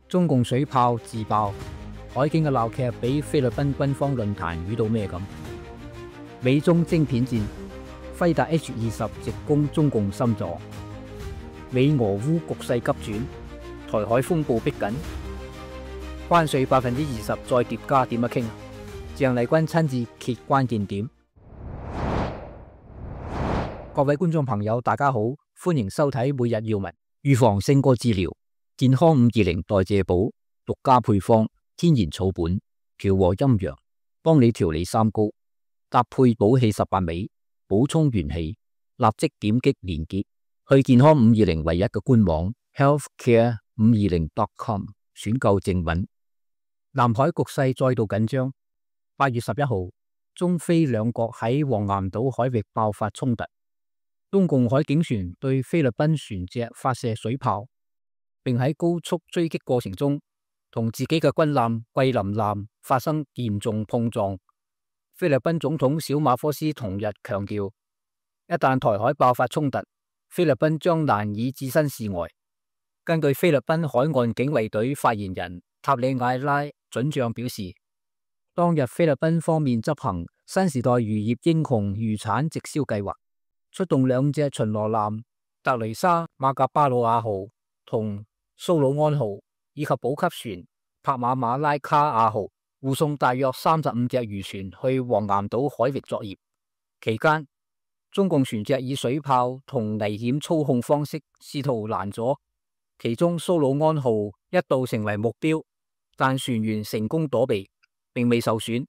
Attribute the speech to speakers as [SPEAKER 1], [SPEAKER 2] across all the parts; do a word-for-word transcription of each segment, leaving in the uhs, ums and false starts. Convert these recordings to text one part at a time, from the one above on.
[SPEAKER 1] 中共水炮自爆，海警嘅鬧劇比菲律賓軍方論壇遇到咩咁？美中晶片戰，輝達 H 二十直攻中共心臟。美俄烏局勢急轉，台海風暴逼緊，關稅百分之二十再疊加點樣傾？鄭麗君親自揭關鍵點。各位觀眾朋友，大家好，歡迎收睇每日要聞。預防勝過治療，健康五二零代謝寶獨家配方，天然草本，調和陰陽，幫你調理三高，搭配補氣十八味，補充元氣。立即點擊連結去健康五二零唯一嘅官網 healthcare 五二零 dot com 選購正品。南海局勢再度緊張，八月十一號，中菲兩國喺黃岩島海域爆發衝突。中共海警船對菲律賓船隻發射水炮，並喺高速追擊過程中同自己嘅軍艦桂林艦發生嚴重碰撞。菲律賓總統小馬科斯同日強調，一旦台海爆發衝突，菲律賓將難以置身事外。根據菲律賓海岸警衛隊發言人塔里艾拉准將表示，當日菲律賓方面執行新時代漁業英雄漁產直銷計劃，出動兩隻巡邏艦特雷莎馬格巴魯亞號同蘇魯安號，以及補給船帕馬馬拉卡亞號，護送大約三十五隻漁船去黃岩島海域作業。期間，中共船隻以水炮同危險操控方式試圖攔阻，其中蘇魯安號一度成為目標，但船員成功躲避，並未受損。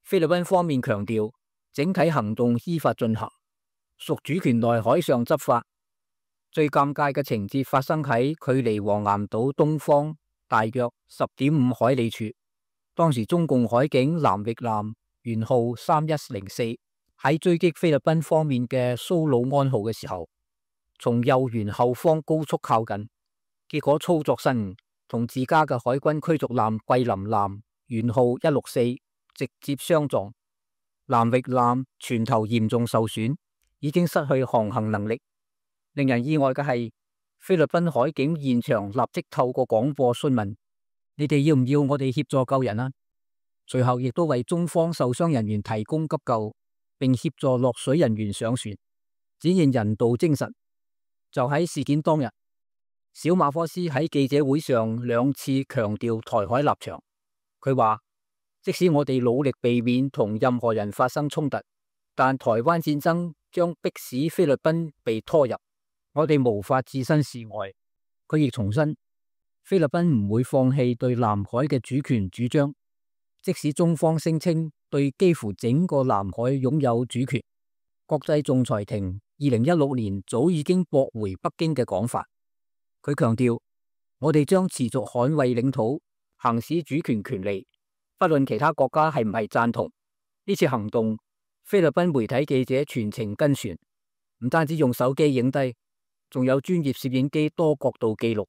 [SPEAKER 1] 菲律賓方面強調，整體行動依法進行，屬主權內海上執法。最尷尬嘅情節發生喺距離黃岩島東方大約十點五海里處。當時中共海警南域艦舷號三一零四喺追擊菲律賓方面嘅蘇魯安號嘅時候，從右舷後方高速靠近，結果操作失誤，同自家嘅海軍驅逐艦桂林艦舷號一六四直接相撞，南域艦船頭嚴重受損，已經失去航行能力。令人意外嘅係，菲律賓海警現場立即透過廣播詢問：你哋要唔要我哋協助救人啊？隨後亦都為中方受傷人員提供急救，並協助落水人員上船，展現人道精神。就喺事件當日，小馬科斯喺記者會上兩次強調台海立場。佢話：即使我哋努力避免同任何人發生衝突，但台灣戰爭將迫使菲律賓被拖入，我哋無法置身事外。佢亦重申，菲律賓唔會放棄對南海嘅主權主張，即使中方聲稱對幾乎整個南海擁有主權。國際仲裁庭二零一六年早已經駁回北京嘅講法。佢強調，我哋將持續捍衛領土，行使主權權利，不論其他國家係唔係贊同。呢次行動，菲律賓媒體記者全程跟船，唔單止用手機影低，仲有專業攝影機多角度記錄。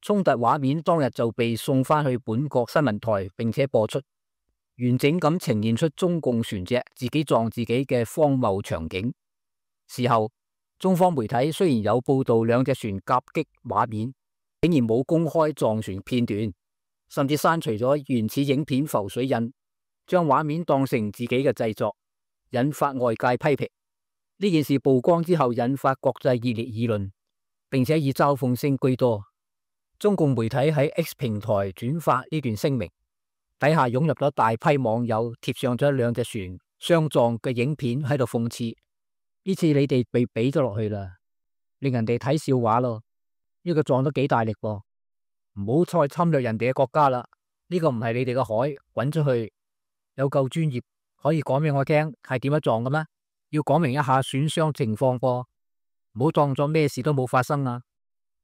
[SPEAKER 1] 衝突畫面當日就被送翻去本國新聞台，並且播出，完整咁呈現出中共船隻自己撞自己嘅荒謬場景。事後，中方媒體雖然有報道兩隻船夾擊畫面，竟然冇公開撞船片段，甚至刪除咗原始影片浮水印，將畫面當成自己嘅製作，引發外界批評。呢件事曝光之後，引發國際熱烈議論，並且以嘲諷聲居多。中共媒體喺 X 平台轉發呢段聲明，底下湧入咗大批網友貼上咗兩隻船相撞嘅影片喺度諷刺。呢次你哋被俾咗落去啦，令人哋睇笑話咯。呢個撞得幾大力噃，唔好再侵略人哋嘅國家啦。呢個唔係你哋嘅海，滾出去。有夠專業，可以講俾我聽係點樣撞嘅咩？要講明一下損傷情況噃，唔好當作咩事都冇發生啊。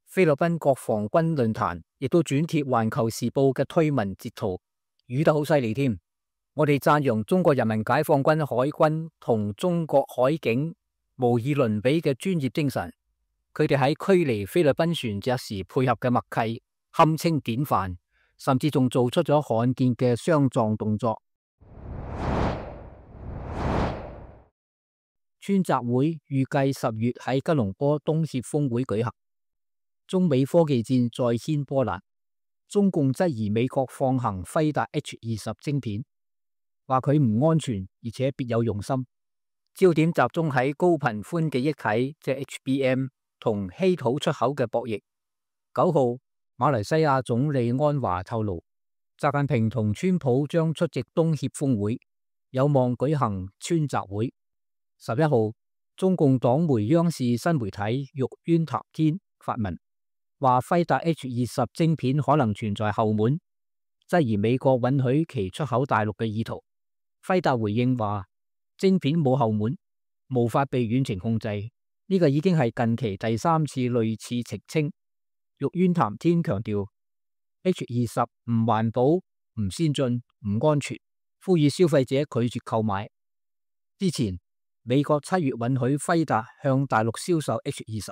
[SPEAKER 1] 菲律賓國防軍論壇亦都轉貼環球時報嘅推文截圖，語得好犀利添。我哋讚揚中國人民解放軍海軍同中國海警無以倫比嘅專業精神，佢哋喺驅離菲律賓船隻時配合嘅默契堪稱典範，甚至仲做出咗罕見嘅相撞動作。川習會預計十月喺吉隆坡東協峰會舉行，中美科技戰再掀波瀾。中共質疑美國放行輝達 H 二十晶片，話佢唔安全，而且別有用心。焦點集中喺高頻寬記憶體即 H B M 同稀土出口嘅博弈。九號，馬來西亞總理安華透露，習近平同川普將出席東協峰會，有望舉行川習會。十一號，中共黨媒央視新媒體玉淵談天發文，話輝達 H 二十晶片可能存在後門，質疑美國允許其出口大陸嘅意圖。輝達回應話，晶片冇後門，無法被遠程控制，呢、這個已經係近期第三次類似澄清。玉淵談天強調 H 二十唔環保、唔先進、唔安全，呼籲消費者拒絕購買。之前美國七月允許輝達向大陸銷售 H 二十，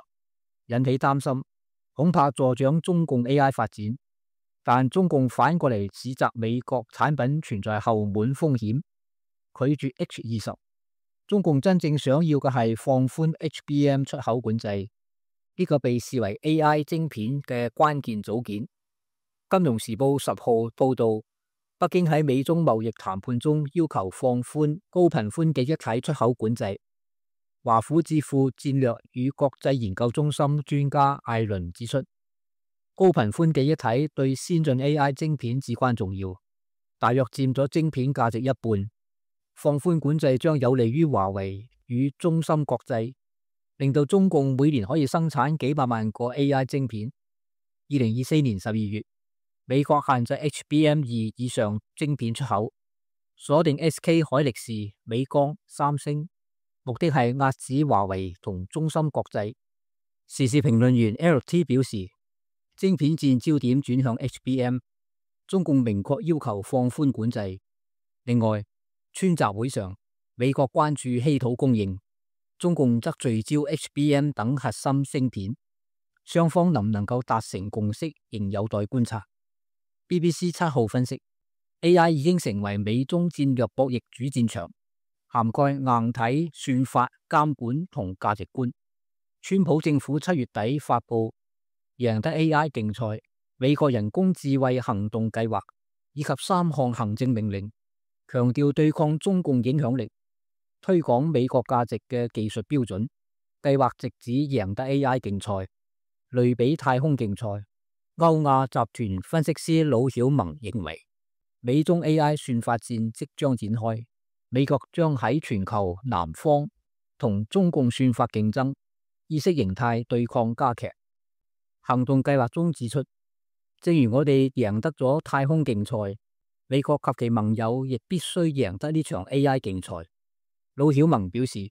[SPEAKER 1] 引起擔心，恐怕助長中共 A I 發展。但中共反過嚟指責美國產品存在後門風險，拒絕 H 二十。中共真正想要嘅係放寬 H B M 出口管制，呢、這個被視為 A I 晶片嘅關鍵組件。金融時報十號報道，北京喺美中貿易談判中要求放寬高頻寬記憶體出口管制。華府智庫戰略與國際研究中心專家艾倫指出，高頻寬記憶體對先進 A I 晶片至關重要，大約佔咗晶片價值一半。放寬管制將有利於華為與中芯國際，令到中共每年可以生產幾百萬個 A I 晶片。二零二四年十二月，美國限制 H B M 二以上晶片出口，鎖定 S K 海力士、美光、三星，目的係遏止華為同中芯國際。時事評論員 L T 表示，晶片戰焦點轉向 H B M， 中共明確要求放寬管制。另外，川習會上，美國關注稀土供應，中共則聚焦 H B M 等核心芯片，雙方能唔能夠達成共識，仍有待觀察。B B C 七號分析 ，A I 已經成為美中戰略博弈主戰場，涵蓋硬體、算法、監管同價值觀。川普政府七月底發布贏得 A I 競賽、美國人工智慧行動計劃以及三項行政命令，強調對抗中共影響力、推廣美國價值嘅技術標準。計劃直指贏得 A I 競賽，類比太空競賽。歐亞集團分析師魯曉萌認為，美中 A I 算法戰即將展開，美國將喺全球南方同中共算法競爭，意識形態對抗加劇。行動計劃中指出，正如我哋贏得咗太空競賽，美國及其盟友亦必須贏得呢場 A I 競賽。魯曉萌表示，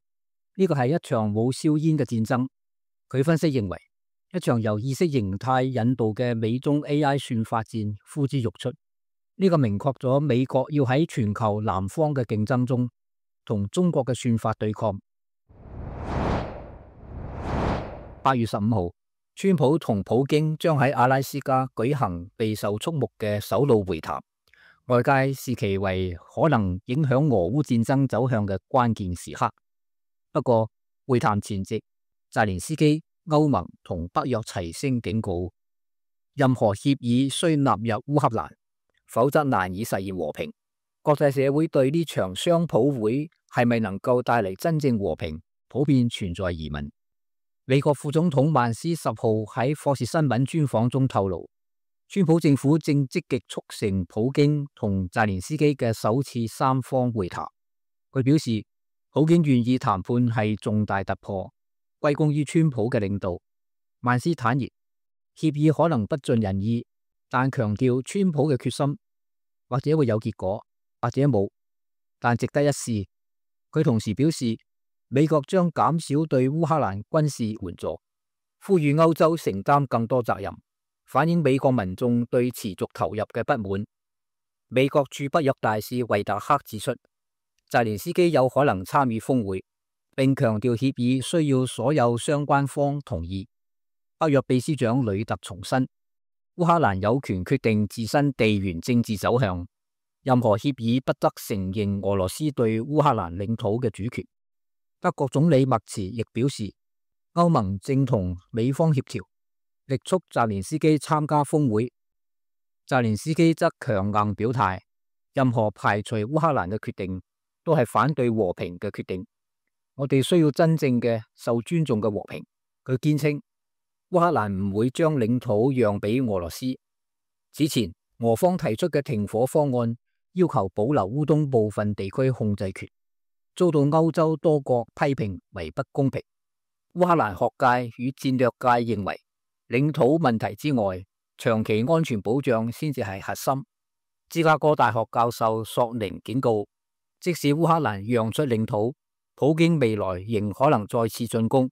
[SPEAKER 1] 呢個係一場冇硝煙嘅戰爭。佢分析認為，一場由意識形態引導嘅美中 A I 算法戰呼之欲出。呢個明確咗美國要喺全球南方嘅競爭中同中國嘅算法對抗。八月十五號，川普同普京將喺阿拉斯加舉行備受矚目嘅首腦會談，外界視其為可能影響俄烏戰爭走向嘅關鍵時刻。不過，會談前夕，澤連斯基、歐盟同北約齊聲警告，任何協議需納入烏克蘭，否則難以實現和平。國際社會對呢場雙普會係咪能夠帶嚟真正和平，普遍存在疑問。美國副總統曼斯十號喺霍士新聞專訪中透露，川普政府正積極促成普京同澤連斯基嘅首次三方會談。佢表示，普京願意談判係重大突破，歸功於川普嘅領導。曼斯坦言，協議可能不盡人意，但強調川普嘅決心，或者會有結果，或者冇，但值得一試。佢同時表示，美國將減少對烏克蘭軍事援助，呼籲歐洲承擔更多責任，反映美國民眾對持續投入嘅不滿。美國駐北約大使維達克指出，澤連斯基有可能參與峰會，並強調協議需要所有相關方同意。北約秘書長呂特重申，烏克蘭有權決定自身地緣政治走向，任何協議不得承認俄羅斯對烏克蘭領土嘅主權。德國總理默茨亦表示，歐盟正同美方協調，力促澤連斯基參加峰會。澤連斯基則強硬表態，任何排除烏克蘭嘅決定都係反對和平嘅決定。我哋需要真正嘅受尊重嘅和平。佢堅稱烏克蘭唔會將領土讓俾俄羅斯。此前俄方提出嘅停火方案要求保留烏東部分地區控制權，遭到歐洲多國批評為不公平。烏克蘭學界與戰略界認為，領土問題之外，長期安全保障先至係核心。芝加哥大學教授索寧警告，即使烏克蘭讓出領土，普京未來仍可能再次進攻，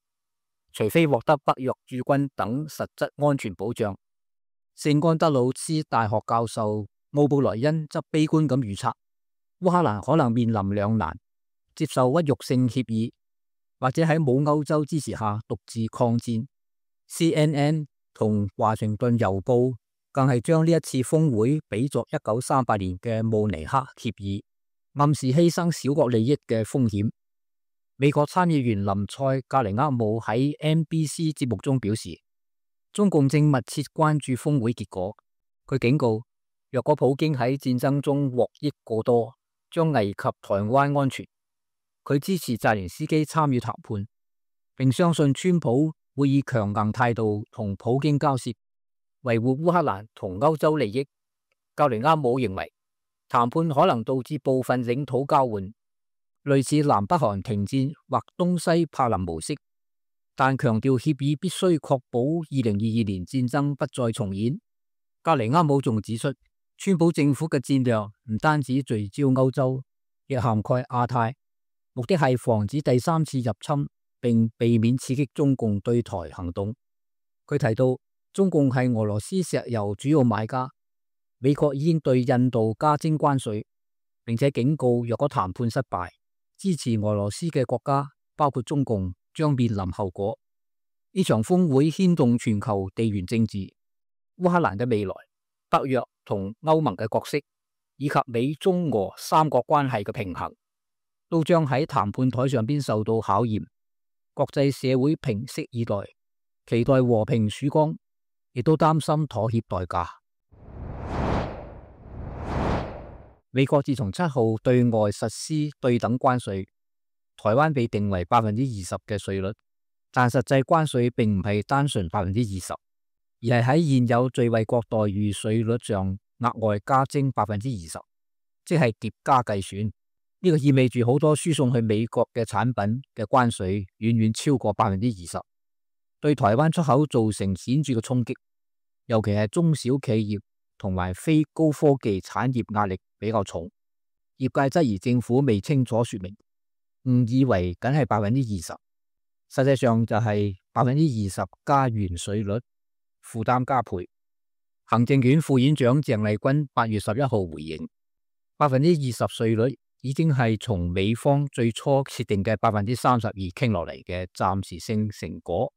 [SPEAKER 1] 除非獲得北約駐軍等實質安全保障。聖安德魯斯大學教授奧布萊恩則悲觀咁預測，烏克蘭可能面臨兩難：接受屈辱性協議，或者喺冇歐洲支持下獨自抗戰。C N N 同華盛頓郵報更係將呢一次峰會比作一九三八年嘅慕尼黑協議，暗示犧牲小國利益嘅風險。美國參議員林賽格尼厄姆喺 N B C 節目中表示，中共正密切關注峰會結果。佢警告，若果普京喺戰爭中獲益過多，將危及台灣安全。佢支持澤連斯基參與談判，並相信川普會以強硬態度同普京交涉，維護烏克蘭同歐洲利益。格尼厄姆認為，談判可能導致部分領土交換，類似南北韓停戰或東西柏林模式，但強調協議必須確保二零二二年戰爭不再重演。格尼厄姆仲指出，川普政府嘅戰略唔單止聚焦歐洲，亦涵蓋亞太，目的係防止第三次入侵，並避免刺激中共對台行動。佢提到，中共係俄羅斯石油主要買家，美國已經對印度加徵關稅，並且警告若果談判失敗，支持俄羅斯嘅國家包括中共將面臨後果。呢場峰會牽動全球地緣政治，烏克蘭嘅未來、北約同歐盟嘅角色，以及美中俄三國關係嘅平衡，都將喺談判台上邊受到考驗。國際社會屏息以待，期待和平曙光，亦都擔心妥協代價。美國自從七號對外實施對等關稅，台灣被定為百分之二十嘅稅率，但實際關稅並唔係單純百分之二十，而係喺現有最惠國待遇稅率上額外加徵百分之二十，即係疊加計算。呢個意味住好多輸送去美國嘅產品嘅關稅遠遠超過百分之二十，對台灣出口造成顯著嘅衝擊，尤其係中小企業同埋非高科技產業壓力比較重。業界質疑政府未清楚說明，誤以為僅係百分之二十，實際上就係百分之二十加原稅率，負擔加倍。行政院副院長鄭麗君八月十一號回應，百分之二十稅率已經係從美方最初設定嘅百分之三十二傾落嚟嘅暫時性成果，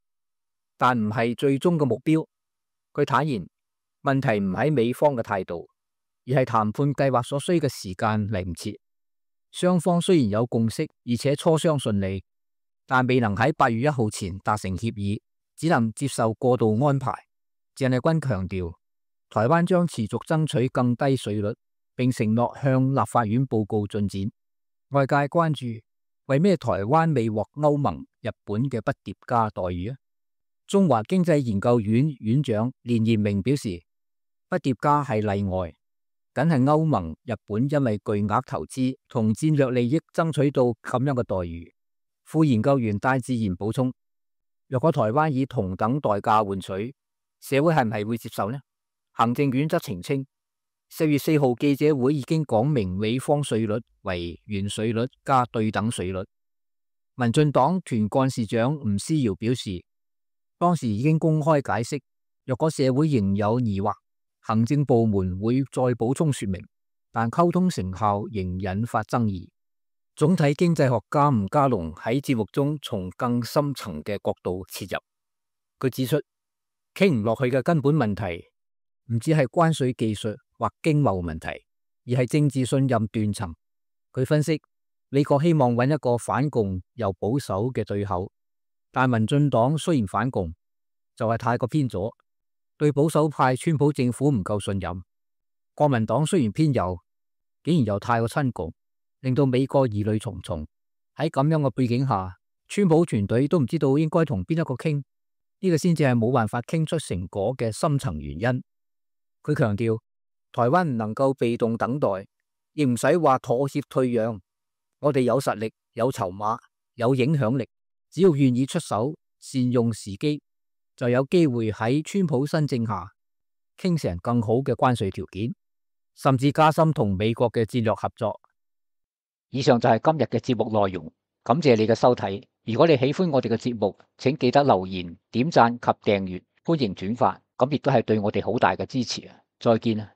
[SPEAKER 1] 但唔係最終嘅目標。佢坦言，問題唔喺美方嘅態度，而係談判計劃所需嘅時間嚟唔切。雙方雖然有共識，而且磋商順利，但未能喺八月一號前達成協議，只能接受過渡安排。鄭麗君強調，台灣將持續爭取更低稅率，並承諾向立法院報告進展。外界關注，為咩台灣未獲歐盟、日本嘅不疊加待遇啊？中華經濟研究院院長連延明表示，不疊加係例外，僅係歐盟、日本因為巨額投資同戰略利益爭取到咁樣嘅待遇。副研究員戴志賢補充，若果台灣以同等代價換取，社會係唔係會接受呢？行政院則澄清，四月四號記者會已經講明美方稅率為原稅率加對等稅率。民進黨團幹事長吳思瑤表示，當時已經公開解釋，若果社會仍有疑惑，行政部門會再補充說明，但溝通成效仍引發爭議。總體經濟學家吳家龍喺節目中從更深層嘅角度切入，佢指出，傾唔落去嘅根本問題唔只係關稅技術或經貿問題，而係政治信任斷層。佢分析，美國希望揾一個反共又保守嘅對口，但民進黨雖然反共，就係太過偏左，對保守派川普政府唔夠信任，國民黨雖然偏右，竟然又太過親共，令到美國疑慮重重。喺咁樣嘅背景下，川普團隊都唔知道應該同邊一個傾，呢個先至係冇辦法傾出成果嘅深層原因。佢強調，台灣唔能夠被動等待，亦唔使話妥協退讓。我哋有實力、有籌碼、有影響力，只要願意出手，善用時機，就有機會喺川普新政下傾成更好嘅關稅條件，甚至加深同美國嘅戰略合作。以上就係今日嘅節目內容，感謝你嘅收睇。如果你喜歡我哋嘅節目，請記得留言、點讚及訂閱，歡迎轉發，咁亦都係對我哋好大嘅支持啊！再見啊！